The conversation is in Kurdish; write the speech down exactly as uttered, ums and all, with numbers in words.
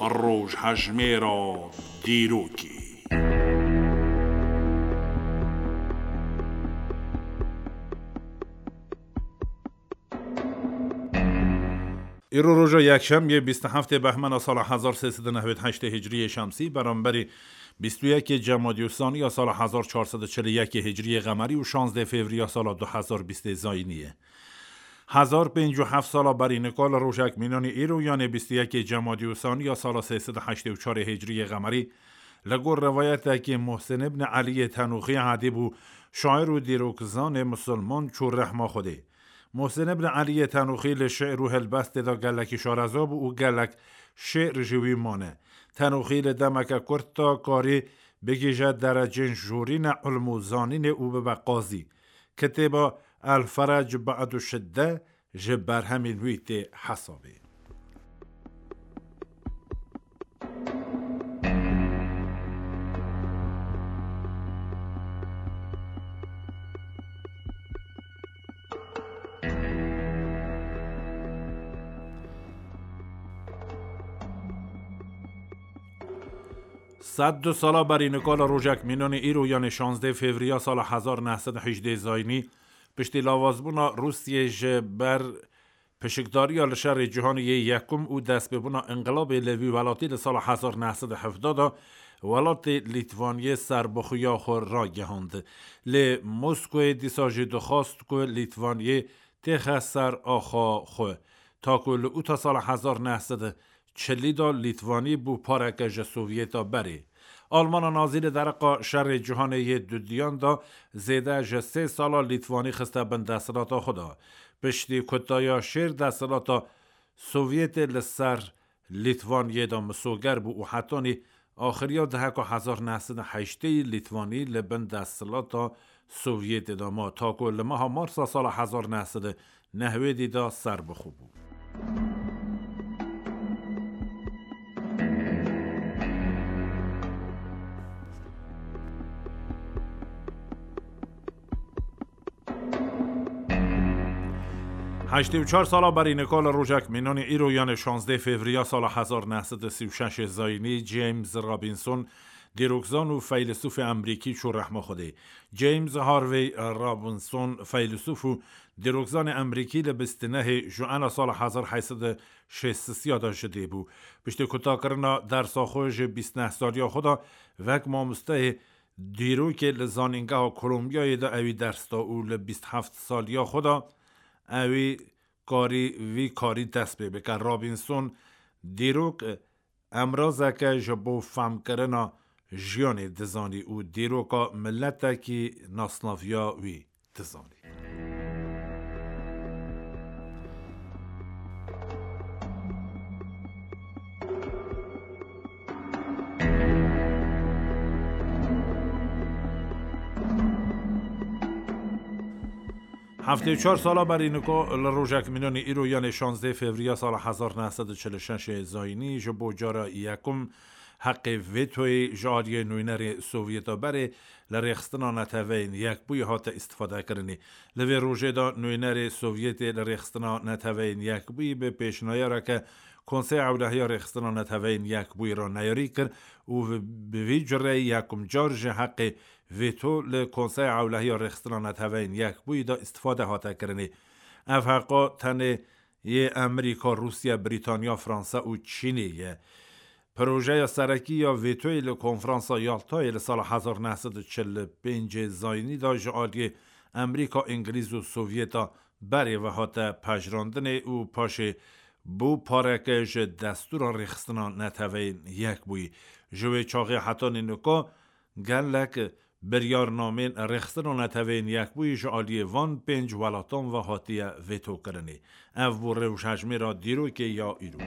Rojhejmêra dîrokê. Îro roja yekşemiyê bîst û heftê behmena sala hezar sê sed û nehwêd heştê hicriyê şemsî, beramberî bîst û yekê cemadî û sanî ya sala hezar çar sed û çil û yekê hicriyê qemerî û şazdê fevriya sala du hezar bîstê zayînî ye. Hezar pêncî û heft sala berî nika li rojek mînanî îro, yanê bîst û yekê cemadî û sanî ya sala sê sed û heştê û çarê hicriyê qemerî, li gor rivayetekî Muhsin ibn Eliyê Tenûxî edîb û şair û dîrokzanê misilman çû rehma Xwedê. Muhsin ibn Eliyê Tenûxî li şi'r û helbestê de gelekî şareza bû û gelek şi'r ji wî mane. Tenûxî li demeke kurt de karî bigihîje derecên jorîne ilm û zanînê û bibe qazî. Kitêba El Ferec Ba'du Şidde ji berhemên wî tê hesabê. Sed du sala berî nika li rojek mînanê îro, yanê şazdê fevriya sala hezar neh sed û hejdê zayînî, piştî lawazbûna Rûsiyê ji ber pişikdariya li şerê cîhanê yê yekum û destpêbûna înqilabê li vî welatî li sala hezar neh sed û hevdeh de, welatê Lîtvaniyê serbixwiya xwe ragihand. Lê Moskowê dîsa jî dixwast ku Lîtvaniyê têxe ser axa xwe. Ta ku li ûta sala hezar neh sed û çilî de Lîtvanî bû pareke ji Sovyeta berê. Almana Nazî li dereqa şerê cîhanê yê dudiyan de zêde ji sê sala Lîtvanî xiste bin desthilata xwe de. Piştî kutaya şêr desthilata Sovyetê li ser Lîtvaniyê de misoger bû û hetanî axiriya deheka hezar neh sed û heştê Lîtvanî li bin desthilata Sovyetê de ma, ta ku li meha Marsa sala hezar neh sed û nehwêdî de serbixwe bû. Heştê û çar sala berî nika li rojek mînanî îro, yanê şazdê fevriya sala hezar neh sed û sî û şeş zayînî, James Robinson, dîrokzan û feylesûfê Emerîkî çû rehma Xwedê. James Harvey Robinson, feylesûf û dîrokzanê Emerîkî, li bîst û nehê Joana sala hezar heyt sed û şêst û sê de ji dê bû. Piştî kutakirina dersa xwe ji bîst û neh saliya xwe de, wek mamosteyê dîrokê li Zanîngeha Kolombiyayê de ewî ders da û li bîst û heft saliya xwe de ewî karî vî karî dest pê bike. Robinson dîrok emrazeke ji bo femkirina jiyanê dizanî û dîroka miletekî nasnaviya wî dizanî. Heftê û çar sala berî nika li rojek mînanî îro, yanê şazdê fevriya sala hezar neh sed û çil û şeş zayînî, ji bo cara yekum heqê vetoyê ji aliyê nûnerê Sovyeta berê li Rêxistina Neteweyên Yekbûyî hate îstifadekirinê. Li vê rojê de nûnerê Sovyetê li Rêxistina Neteweyên Yekbûyî bi pêşniyareke Konseya Ewlehiya Rêxistina Neteweyên Yekbûyî re neyarî kir û bi, bi vî cureyî yekum car ji heqê veto li Konseya Ewlehiya Rêxistina Neteweyên Yekbûyî de îstifade hate kirinê. Ev heqa tenê yê Emerîka, Rûsya, Brîtanya, Fransa û Çînê ye. Projeya serekî ya vetoyê li Konferansa Yaltayê li sala hezar neh sed û çil û pêncê zayînî de ji aliyê Emerîka, Îngilîz û Sovyeta berê ve hate pejirandinê û paşê bû pareke ji destûra Rêxistina Neteweyên Yekbûyî. Ji wê çaxê hetanî nika gelek biryarnamên Rêxistina Neteweyên Yekbûyî ji aliyê van pênc welatan ve hatiye vetokirinê. Ev bû rewşhejmêra dîrokê ya îro.